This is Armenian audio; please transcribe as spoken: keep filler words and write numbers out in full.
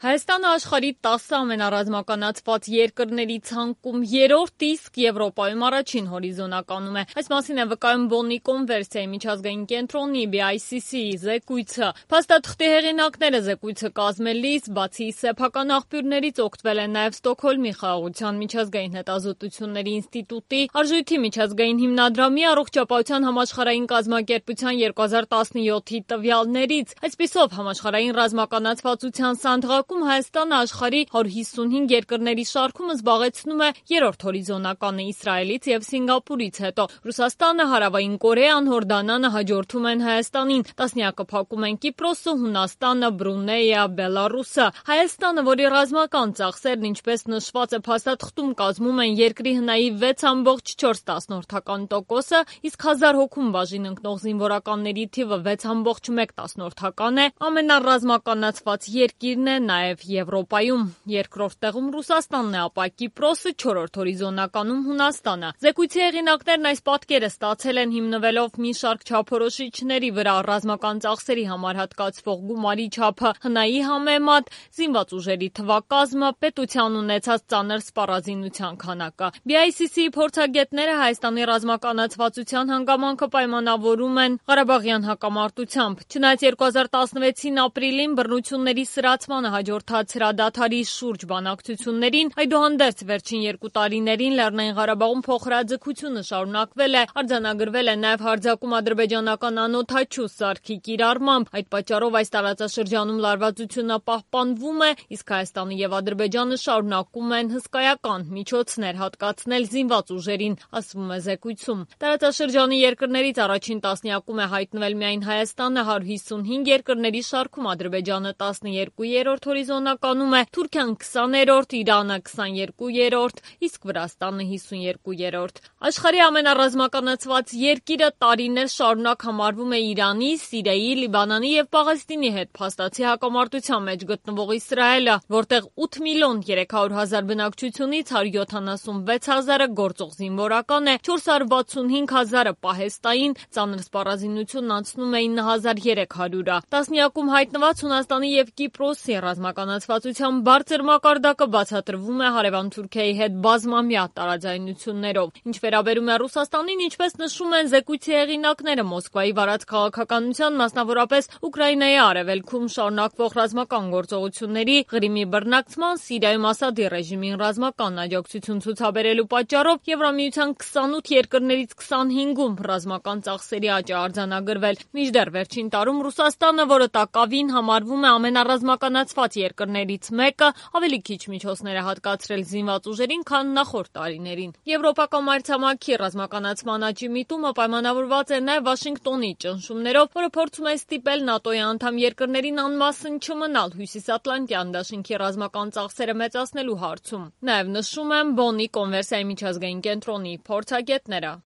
Հայաստանը աշխարհի տասը ամենառազմականացված երկրների ցանկում երրորդ, իսկ Եվրոպայում առաջին հորիզոնականում է։ Այս մասին է վկայում Բոննի կոնվերսիայի միջազգային կենտրոնի B I C C-ի զեկույցը։ Փաստաթղթի հեղինակները զեկույցը կազմելիս, բացի սեփական աղբյուրներից, օգտվել են նաև Ստոկհոլմի խաղաղության միջազգային հետազոտությունների ինստիտուտի, Արժույթի միջազգային հիմնադրամի, Առողջապահության համաշխարհային կազմակերպության երկու հազար տասնյոթի տվյալներից։ Այսպիսով, համաշխարհային ռազմականացվածության սանդղակում Հայաստանը աշխարհի հարյուր հիսունհինգ երկրների շարքում զբաղեցնում է երրորդ հորիզոնականը Իսրայելից և Սինգապուրից հետո։ Ռուսաստանը, Հարավային Կորեան, Հորդանանը հաջորդում են Հայաստանին, տասնյակը փակում են Կիպրոսը, Հունաստանը, Բրունեյը, Բելառուսը։ Հայաստանը, որի ռազմական ծախսերն, ինչպես նշված է փաստաթղթում, կազմում են երկրի հնայի վեց ամբողջ չորս տասնորդականտոկոսը, իսկ հազար հոգուն բաժին ընկնող զինվորականների թիվը վեց ամբողջ մեկ տասնորդական է, ամենառազմականացված երկիրն է նաև Եվրոպայում, երկրորդ տեղում Ռուսաստանն է, ապա Կիպրոսը, չորրորդ հորիզոնականում Հունաստանը։ Զեկույցի հեղինակներն այս պատկերը ստացել են հիմնվելով մի շարք չափորոշիչների վրա՝ ռազմական ծախսերի համար հատկացվող գումարի չափը, հնայի համեմատ, զինված ուժերի թվակազմը, պետության ունեցած ծանր սպառազինության քանակը։ B I C C-ի փորձագետները Հայաստանի ռազմականացվածության հանգամանքը պայմանավորում են Ղարաբաղյան հակամարտությամբ։ Չնայած երկու հազար տասնվեցին ապրիլին բռնությունների սրացմանը հաջորդած հրադադարի շուրջ բանակցություններին, այդուհանդերձ վերջին երկու տարիներին Լեռնային Ղարաբաղում փոխհրաձգությունը շարունակվել է, արձանագրվել է նաև հարձակում ադրբեջանական անօդաչու սարքի կիրառմամբ։ Այդ պատճառով այս տարածաշրջանում լարվածությունը պահպանվում է, իսկ Հայաստանը և Ադրբեջանը շարունակում են հսկայական միջոցներ հատկացնել զինված ուժերին, ասվում է զեկույցում։ Տարածաշրջանի երկրներից առաջին տասնյակում է հայտնվել միայն Հայաստանը, հարյուր հիսունհինգ երկրների շարքում Ադրբեջանը տասնյոթերորդ հորիզոնականում է, Թուրքիան քսաներորդ, Իրանը քսաներկուերորդ, իսկ Վրաստանը հիսունյոթերորդ։ Աշխարհի ամենառազմականացված երկիրը տարիներ շարունակ համարվում է Իրանի, Սիրիայի, Լիբանանի և Պաղեստինի հետ փաստացի հակամարտության մեջ գտնվող Իսրայելը, որտեղ ութ միլիոն երեք հարյուր հազար բնակչությունից հարյուր յոթանասունվեց հազարը գործող զինվորական է, չորս հարյուր վաթսունհինգ հազարը պահեստային, ծանր սպառազինությունն անցնում է ինը հազար երեք հարյուրը։ Տասնյակում հայտնված Հունաստանի և Կիպրոսի ռազմականացվածության բարձր մակարդակը բացատրվում է հարևան Թուրքիայի հետ բազմամյա տարաձայնություններով։ Ինչ վերաբերում է Ռուսաստանին, ինչպես նշում են զեկույցի հեղինակները, Մոսկվայի վարած քաղաքականության, մասնավորապես Ուկրաինայի արևելքում շարունակվող ռազմական գործողությունների, Ղրիմի բռնակցման, Սիրիայում Ասադի ռեժիմին ռազմական աջակցություն ցուցաբերելու պատճառով Եվրամիության քսանութ երկրներից քսանհինգում ռազմական ծախսերի աճ է արձանագրվել։ Մինչդեռ վերջին տարում Ռուսաստանը, որը տակավին համարվում է ամենառազմականացված երկրներից մեկը, ավելի քիչ միջոցներ է հատկացրել զինված ուժերին, քան նախորդ տարիներին։ Եվրոպական մայրցամաքի ռազմականացման աճի միտումը պայմանավորված է նաև Վաշինգտոնի ճնշումներով, որը փորձում է ստիպել ՆԱՏՕ-ի անդամ երկրներին անմասն չմնալ Հյուսիսատլանտյան դաշինքի ռազմական ծախսերը մեծացնելու հարցում։ Նաև նշում են Բոննի կոնվերսիայի միջազգային կենտրոնի փորձագետները։